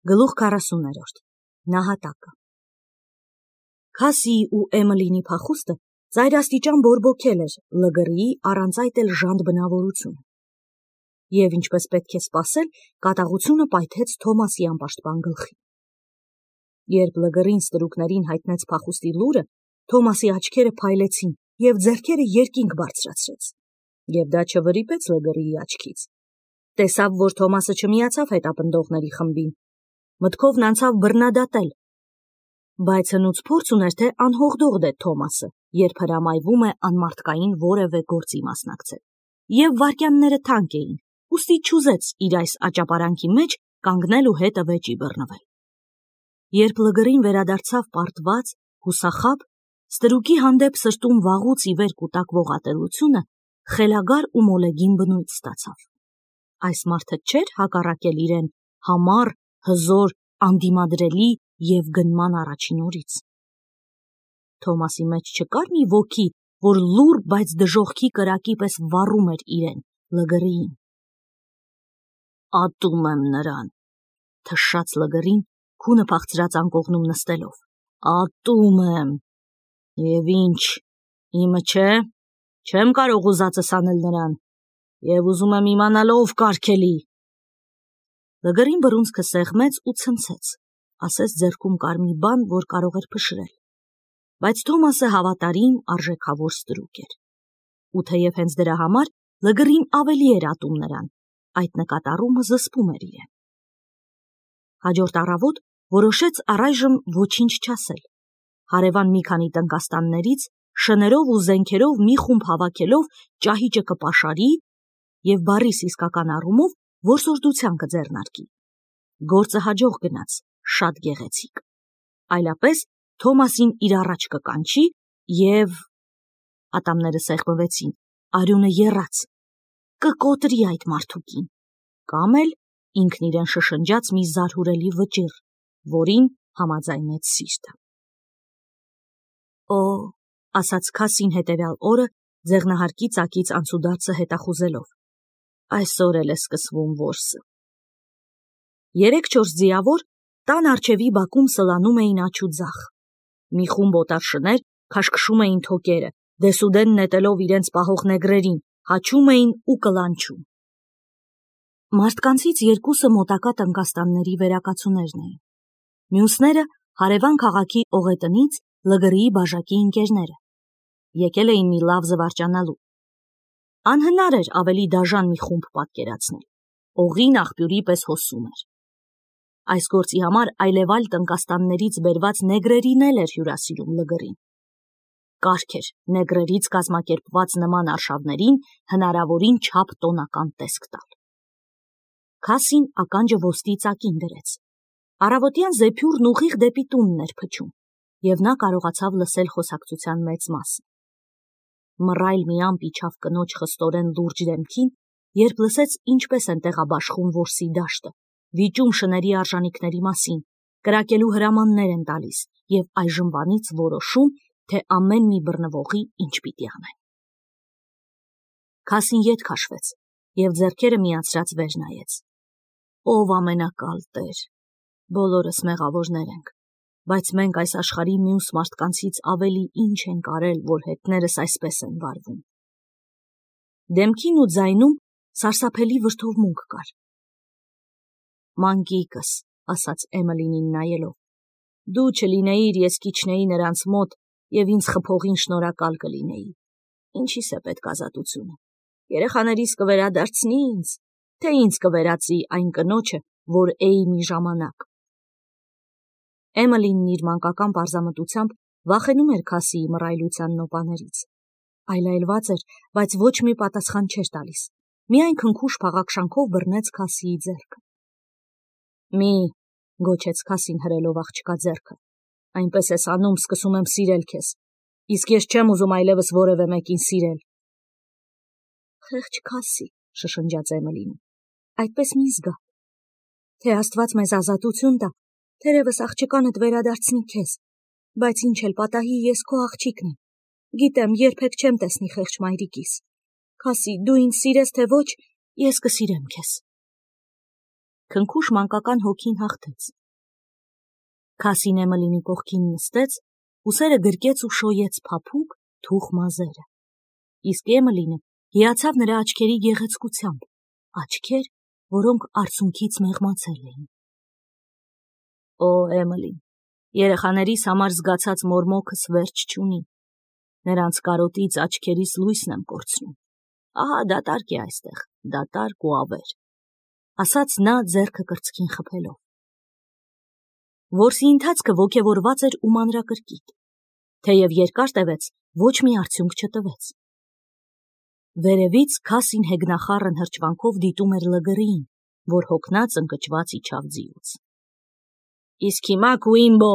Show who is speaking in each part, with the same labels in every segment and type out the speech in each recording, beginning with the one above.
Speaker 1: Գլուխ 40-րդ Նահատակը Քասիի ու Էմիլինի փախուստը ծայրաստիճան բորբոքել էր Լգրիի առանց այդ էլ ժանտ բնավորությունը։ Եվ ինչպես պետք է սպասել, կատաղությունը պայթեց Թոմասի անպաշտպան գլխին։ Երբ Լգրին ստրուկներին հայտնեց փախուստի լուրը, Թոմասի աչքերը փայլեցին և ձեռքերը երկինք բարձրացրեց։ Եվ դա չվրիպեց Լգրիի աչքից։ Տեսավ, որ Թոմասը չմիացավ հետապնդողների խմբին։ Մտքովն անցավ բռնադատել, բայց հնուց փորձ ուներ, թե անհողդող դե Թոմասը, երբ հրամայվում է անմարդկային որևէ գործի մասնակցել։ Եվ վայրկյանները թանկ էին, ուստի չուզեց իր այս աճապարանքի մեջ կանգնել ու հետը վեճի բռնվել։ Երբ Լգրին վերադարձավ պարտված, հուսախաբ, ստրուկի հանդեպ սրտում վաղուց ի վեր կուտակվող ատելությունը խելագար ու մոլեգին բնույթ ստացավ։ Այս մարդը չէր հակառակել իրեն համառ, հզոր, անդիմադրելի և գնման առաջին օրից։ Թոմասի մեջ չկար մի ոգի, որ լուռ, բայց դժոխքի կրակի պես վառում էր իրեն, Լգրիին։ Ատում եմ նրան, թշաց Լգրին, քունը փախցրած անկողնում նստելով։ Ատում եմ։ Եվ ինչ, իմը չէ, չեմ կարող ուզածս անել նրան, և ուզում եմ իմանալ ով կարգելի։ Լգրին բռունցքը սեղմեց ու ցնցեց, ասես ձեռքում կար մի բան, որ կարող էր փշրել։ Բայց Թոմասը հավատարիմ, արժեքավոր ստրուկ էր։ Ու թեև հենց դրա համար Լգրին ավելի էր ատում նրան, այդ նկատառումը զսպում էր իրեն։ Հաջորդ առավոտ որոշեց առայժմ ոչինչ չասել։ Հարևան մի քանի տնկաստաններից շներով ու զենքերով մի խումբ հավաքելով ճահիճը կպաշարի և բառիս իսկական առումով որսորդության կձեռնարկի։ Գործը հաջող գնաց, շատ գեղեցիկ։ Այլապես Թոմասին իր առաջ կկանչի և… Ատամները սեղմվեցին, արյունը եռաց, կկոտրի այդ մարդուկին, կամ էլ ինքն իրեն շշնջաց մի զարհուրելի վճիռ, որին համաձայնեց սիրտը։ Օ, ասաց Քասին հետևյալ օրը ձեղնահարկի ծակից անցուդարձը հետախուզելով, այսօր էլ է սկսվում որսը։ 3-4 ձիավոր տան առջևի բակում սլանում էին աջ ու ձախ։ Մի խումբ օտար շներ քաշքշում էին թոկերը, դեսուդեն նետելով իրենց պահող նեգրերին, հաչում էին ու կլանչում։ Մարդկանցից երկուսը մոտակա տնկաստանների վերակացուներն էին։ Մյուսները հարևան քաղաքի օղետնից Լգրիի բաժակի ընկերները։ Եկել էին մի լավ զվարճանալու։ Անհնար էր ավելի դաժան մի խումբ պատկերացնել։ Օղին աղբյուրի պես հոսում էր։ Այս գործի համար այլևալ տնկաստաններից բերված նեգրերին էլ էր հյուրասիրում Լգրին։ Կարգ էր նեգրերից կազմակերպված նման արշավներին հնարավորին չափ տոնական տեսք տալ։ Քասին ականջը ոսկի ծակին դրեց։ Առավոտյան զեփյուռն ուղիղ դեպի տունն էր փչում, և նա կարողացավ լսել խոսակցության մեծ մասը։ Մռայլ մի ամպ իջավ կնոջ խստորեն լուրջ դեմքին, երբ լսեց ինչպես են տեղաբաշխում որսի դաշտը, վիճում շների արժանիքների մասին, կրակելու հրամաններ են տալիս և այժմվանից որոշում, թե ամեն մի բռնվողի ինչ պիտի անեն։ Քասին ետ քաշվեց և ձեռքերը միացրած վեր նայեց։ Ով ամենակալ Տեր, բոլորս մեղավորներ ենք, բայց մենք այս աշխարհի մյուս մարդկանցից ավելի ինչ ենք արել, որ հետներս այսպես են վարվում։ Դեմքին ու ձայնում սարսափելի վրդովմունք կար։ Մանկիկս, ասաց Էմիլինին նայելով, դու չլինեիր, ես կիջնեի նրանց մոտ և ինձ խփողին շնորհակալ կլինեի։ Ինչիս է պետք ազատությունը։ Երեխաներիս կվերադարձնի ինձ, թե ինձ կվերածի այն կնոջը, որ էի մի ժամանակ։ Էմիլինն իր մանկական պարզամտությամբ վախենում էր Քասիի մռայլության նոպաներից։ Այլայլված էր, բայց ոչ մի պատասխան չէր տալիս։ Միայն քնքուշ փաղաքշանքով բռնեց Քասիի ձեռքը։ Մի, գոչեց Քասին հրելով աղջկա ձեռքը, այնպես ես անում, սկսում եմ սիրել քեզ, իսկ ես չեմ ուզում այլևս որևէ մեկին սիրել։ Խեղճ Քասի, շշնջաց Էմիլինը, այդպես մի զգա։ Թե Աստված մեզ ազատություն տա, թերևս աղջկանդ վերադարձնի քեզ, բայց ինչ էլ պատահի, ես քո աղջիկն եմ։ Գիտեմ, երբեք չեմ տեսնի խեղճ մայրիկիս։ Քասի, դու ինձ սիրես թե ոչ, ես կսիրեմ քեզ։ քնքուշ մանկական հոգին հաղթեց։ Քասին Էմելինի կողքին նստեց, ուսերը գրկեց ու շոյեց փափուկ, թուխ մազերը։ Իսկ Էմելինը հիացավ նրա աչքերի գեղեցկությամբ, աչքեր, որոնք արցունքից մեղմացել էին։ Օ, Էմելին, երեխաներիս համար զգացած մորմոքս վերջ չունի։ Նրանց կարոտից աչքերիս լույսն եմ կորցնում։ Ահա դատարկ է այստեղ, դատարկ ու ավեր, ասաց նա ձեռքը կրծքին խփելով։ Որսի ընթացքը ոգևորված էր ու մանրակրկիտ, թեև երկար տևեց, ոչ մի արդյունք չտվեց։ Վերևից Քասին հեգնախառն հրճվանքով դիտում էր Լգրիին, որ հոգնած ընկճված իջավ ձիուց։ Իսկ հիմա Կուիմբո,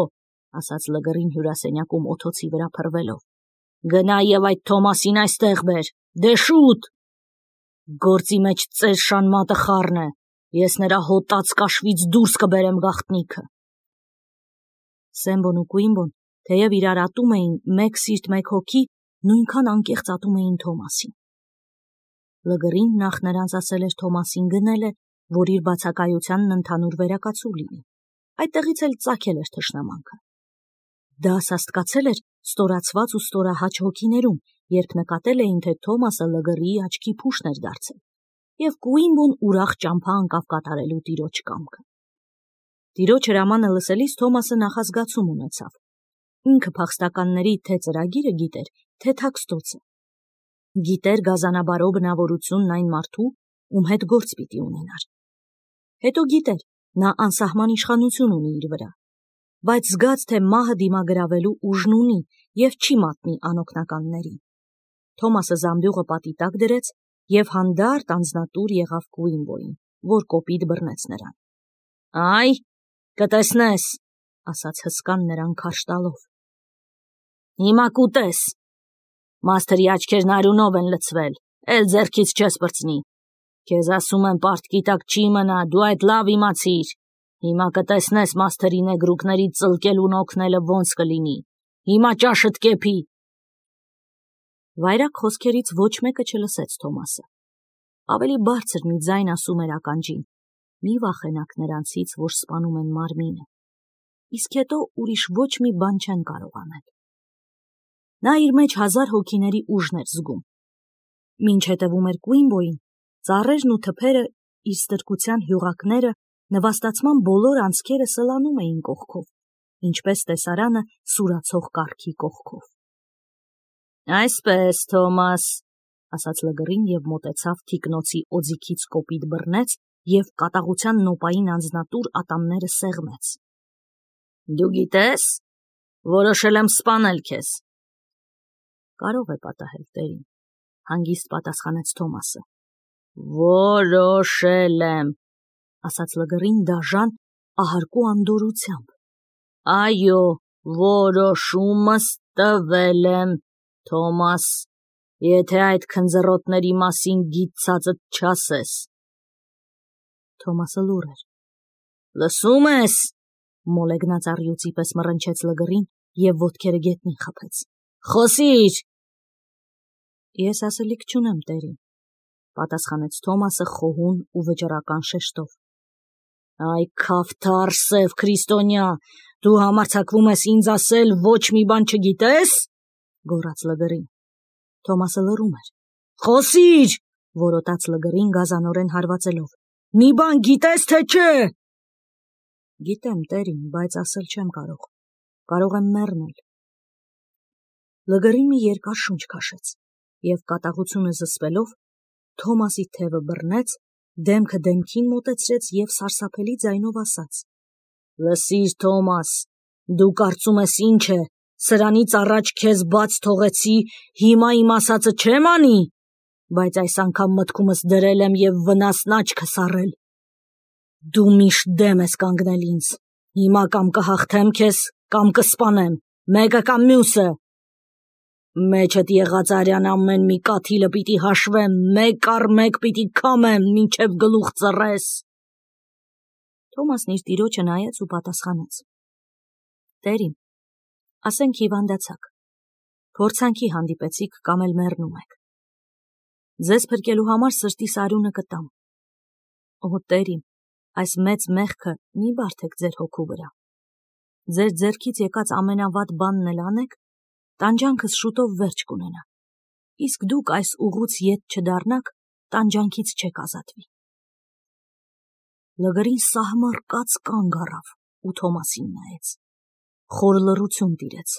Speaker 1: ասաց Լգրին հյուրասենյակում օթոցի վրա փռվելով, գնա եւ այդ Թոմասին այստեղ բեր, դե շուտ։ Գործի մեջ ծեր շանմատը խառն է, ես նրա հոտած կաշվից դուրս կբերեմ գաղտնիքը։ Սեմբոն ու Կուիմբոն, թեև իրար ատում էին մեկ սիրտ մեկ հոգի, նույնքան անկեղծ ատում էին Թոմասին։ Լգրին նախ նրանց ասել էր Թոմասին գնել է, որ իր բացակայությանն ընդհանուր վերակացու լինի, այդտեղից էլ ծագել էր թշնամանքը։ Դա սաստկացել էր ստորացված ու ստորահաճ հոգիներում, երբ նկատել էին, թե Թոմասը Լգրիի աչքի փուշն էր դարձել, և Կուիմբոն ուրախ ճամփա անկավ կատարելու տիրոջ կամքը։ Տիրոջ հրամանը լսելիս Թոմասը նախազգացում ունեցավ։ Ինքը փախստականների թե ծրագիրը գիտեր, թե թաքստոցը։ Գիտեր գազանաբարո բնավորությունն այն մարդու, ում հետ գործ պիտի ունենար։ Հետո գիտեր, նա անսահման իշխանություն ունի իր վրա, բայց զգաց, թե մահը դիմագրավելու ուժն ունի և չի մատնի անօգնականներին։ Թոմասը զամբյուղը պատի տակ դրեց և հանդարտ անձնատուր եղավ Կուիմբոյին, որ կոպիտ բռնեց նրան։ Այ, կտեսնես, ասաց հսկան նրան քարշ տալով։ Հիմա կուտես։ Մաստերի աչքերն արյունով են լցվել, էլ ձեռքից չես պրծնի։ Քեզ ասում եմ, պարտքի տակ չի մնա, դու այդ լավ իմացիր։ Հիմա կտեսնես մաստերի նեգրուկների ծլկելուն օգնելը ոնց կլինի։ Հիմա ճաշդ կեփի։ Վայրագ խոսքերից ոչ մեկը չլսեց Թոմասը։ Ավելի բարձր մի ձայն ասում էր ականջին. մի վախենաք նրանցից, որ սպանում են մարմինը, իսկ հետո ուրիշ ոչ մի բան չեն կարող անել։ Նա իր մեջ 1000 հոգիների ուժն էր զգում։ Մինչ հետևում էր Կուիմբոյին, ծառերն ու թփերը, իր ստրկության հյուղակները, նվաստացման բոլոր անցքերը սլանում էին կողքով, ինչպես տեսարանը սուրացող կառքի կողքով։ Այսպես, Թոմաս, ասաց Լգրին և մոտեցավ թիկնոցի օձիքից կոպիտ բռնեց և կատաղության նոպային անձնատուր ատամները սեղմեց։ Դու գիտես, որոշել եմ սպանել քեզ։ Կարող է պատահել, տերին, հանգիստ պատասխանեց Թոմասը։ Որոշել եմ, ասաց Լգրին դաժան, ահարկու անդորրությամբ։ Այո, որոշումս տվել եմ, Թոմաս, եթե այդ քնձռոտների մասին գիտցածդ չասես։ Թոմասը լուռ էր։ Լսում ես, մոլեգնած առյուծի պես մռնչեց Լգրին և ոտքերը գետնին խփեց։ Խոսիր։ Ես ասելիք չունեմ, տերին, պատասխանեց Թոմասը խոհուն ու վճռական շեշտով։ Այ քավթար սև քրիստոնյա, դու համարձակվում ես ինձ ասել ոչ մի բան չգիտես, գոռաց Լգրին։ Թոմասը լռում էր։ Խոսիր, որոտաց Լգրին գազանորեն հարվածելով։ Մի բան գիտես, թե չէ։ Գիտեմ, տերին, բայց ասել չեմ կարող։ Կարող եմ մեռնել։ Լգրին մի երկար շունչ քաշեց և կատաղությունը զսպելով Թոմասի թևը բռնեց, դեմքը դեմքին մոտեցրեց և սարսափելի ձայնով ասաց. Լսիր, Թոմաս, դու կարծում ես ինչ է, սրանից առաջ քեզ բաց թողեցի, հիմա իմ ասածը չեմ անի, բայց այս անգամ մտքումս դրել եմ և վնասն աչքս առել։ Դու միշտ դեմ ես կանգնել ինձ, հիմա կամ կհաղթեմ քեզ, կամ կսպանեմ, մեկը կամ մյուսը։ Մեջդ եղած արյան ամեն մի կաթիլը պիտի հաշվեմ, մեկ առ մեկ պիտի քամեմ, մինչև գլուխ ծռես։ Թոմասն իր տիրոջը նայեց ու պատասխանեց. Տերին, ասենք հիվանդացաք, փորձանքի հանդիպեցիք կամ էլ մեռնում եք։ Ձեզ փրկելու համար սրտիս արյունը կտամ։ Օ, տերին, այս մեծ մեղքը մի բարդեք ձեր հոգու վրա։ Ձեր ձեռքից եկած ամենավատ բանն էլ անեք, տանջանքս շուտով վերջ կունենա, իսկ դուք այս ուղուց ետ չդառնաք, տանջանքից չեք ազատվի։ Լգրին սահմռկած կանգ առավ ու Թոմասին նայեց։ Խոր լռություն տիրեց,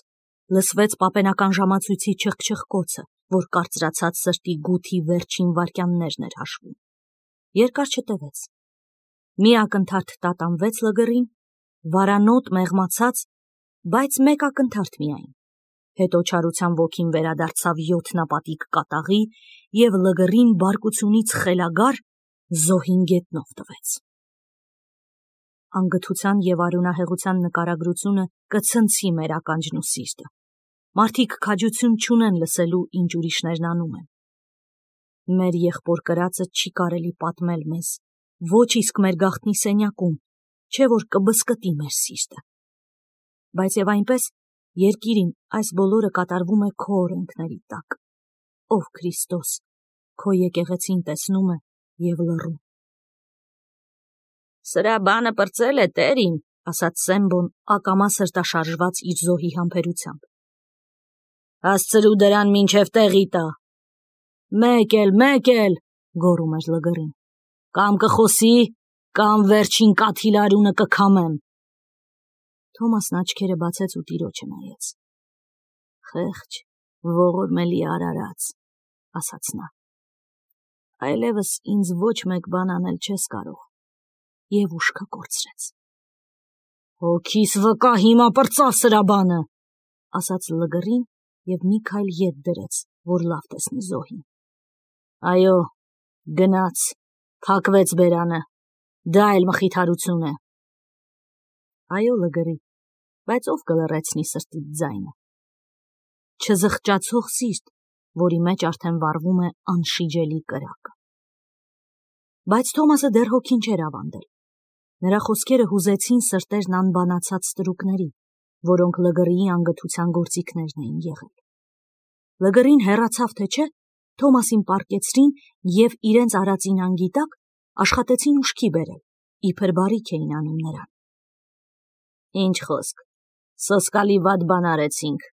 Speaker 1: լսվեց պապենական ժամացույցի չխչխկոցը, որ կարծրացած սրտի գութի վերջին վայրկյաններն էր հաշվում։ Երկար չտևեց։ Մի ակնթարթ տատանվեց Լգրին, վարանոտ մեղմացած, բայց մեկ ակնթարթ միայն։ Հետո չարության ոգին վերադարձավ յոթնապատիկ կատաղի և Լգրին բարկությունից խելագար զոհին գետնով տվեց։ Անգթության և արյունահեղության նկարագրությունը կցնցի մեր ականջն ու սիրտը։ Մարդիկ քաջություն չունեն լսելու, ինչ ուրիշներն անում են։ Մեր եղբոր կրածը չի կարելի պատմել մեզ, ոչ իսկ մեր գաղտնի սենյակում, չէ որ կբզկտի մեր սիրտը։ Բայց և այնպես, երկիրին այս բոլորը կատարվում է քո օրենքների տակ։ Ով Քրիստոս, քո եկեղեցին տեսնում է և լռում։ Սրա բանը պրծել է տերին, ասաց Սեմբոն ակամա սրտաշարժված իր զոհի համբերությամբ։ Հասցրու դրան մինչև տեղի տա։ Մեկ էլ, գոռում էր Լգրին։ Կամ կխոսի, կամ վերջին կաթիլարունը կքամեմ։ Թոմասն աչքերը բացեց ու տիրոջը նայեց։ Խեղճ, ողորմելի արարած, ասաց նա։ Այլևս ինձ ոչ մեկ բան անել չես կարող։ Եվ ուշքը կորցրեց։ Հոգիս վկա հիմա պրծա սրա բանը, ասաց Լգրին և մի քայլ ետ դրեց, որ լավ տեսնի զոհին։ Այո, գնաց, փակվեց բերանը, դա էլ մխիթարություն է։ Այո, Լգրի, բայց ով կլռեցնի սրտիդ ձայնը։ Չզղջացող սիրտ, որի մեջ արդեն վառվում է անշիջելի կրակը։ Բայց Թոմասը դեռ հոգին չէր ավանդել։ Նրա խոսքերը հուզեցին սրտերն անբանացած ստրուկների, որոնք Լգրիի անգթության գործիքներն էին եղել։ Լգրին հեռացավ թե չէ, Թոմասին պառկեցրին և իրենց արածին անգիտակ աշխատեցին ուշքի բերել, իբր բարիք էին անում նրան։ Ինչ խոսք, սոսկալի վատ բան արեցինք,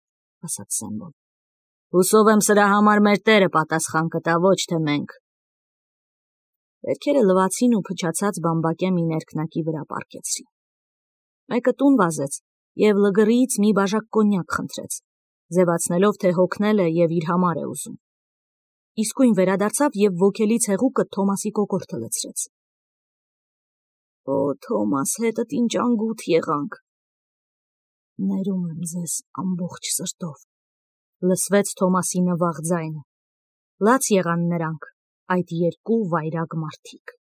Speaker 1: ասաց Սեմբոն։ Հուսով եմ սրա համար մեր Տերը պատասխան կտա, ոչ թե մենք։ Վերքերը լվացին ու փչացած բամբակե մի ներքնակի վրա պառկեցրին։ Մեկը տուն վազեց և Լգրիից մի բաժակ կոնյակ խնդրեց, ձևացնելով, թե հոգնել է և իր համար է ուզում։ Իսկույն վերադարձավ և ոգելից հեղուկը Թոմասի կոկորդը լցրեց։ Օ, Թոմաս, հետդ ինչ անգութ եղանք։ Ներում եմ ձեզ ամբողջ սրտով, լսվեց Թոմասի նվաղ ձայնը։ Լաց եղան նրանք, այդ երկու վայրագ մարդիկ։